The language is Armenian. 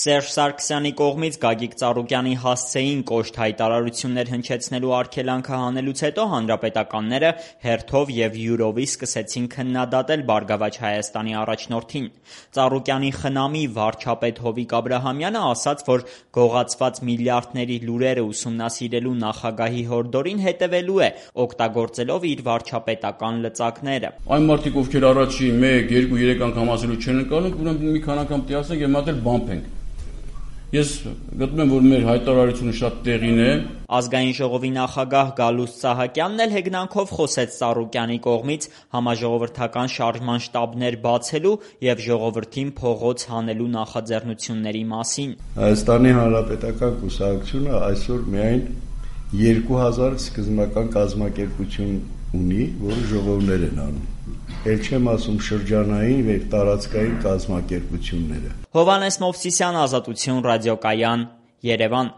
Սերժ Սարգսյանի կողմից Գագիկ Ծառուկյանի հասցեին կոշտ հայտարարություններ հնչեցնելու արգելանքը հանելուց հետո հանրապետականները հերթով և յուրովի սկսեցին քննադատել Բարգավաճ Հայաստանի առաջնորդին։ Ծառուկյանի խնամի վարչապետ Հովիկ Աբրահամյանը ասաց, որ գողացված միլիարդների լուրերը ուսումնասիրելու նախագահի հորդորին հետևելու է, օգտագործելով իր վարչապետական լծակները։ Այն մարդիկ, ովքեր առաջի 1, 2, 3 անգամ ասելու չեն ընկալում, ուրեմն մի քանի անգամ տիասենք և մատել բամփենք։ Ես գտնում եմ, որ մեր հայտարարությունը շատ տեղին է։ Ազգային ժողովի նախագահ Գալուստ Սահակյանն էլ հեգնանքով խոսեց Ծառուկյանի կողմից համաժողովրդական շարժման շտաբներ բացելու և ժողովրդին փողոց հանելու նախաձեռնությունների մասին։ Հայաստանի Հանրապետական կուսակցությունը այսօր միայն 2000 սկզբնական կազմակերպություն ունի, որը ժողովներ են անում։ Էլ չեմ ասում շրջանային և տարածքային կազմակերպությունները։ Հովհաննես Մովսիսյան, Ազատություն ռադիոկայան, Երևան։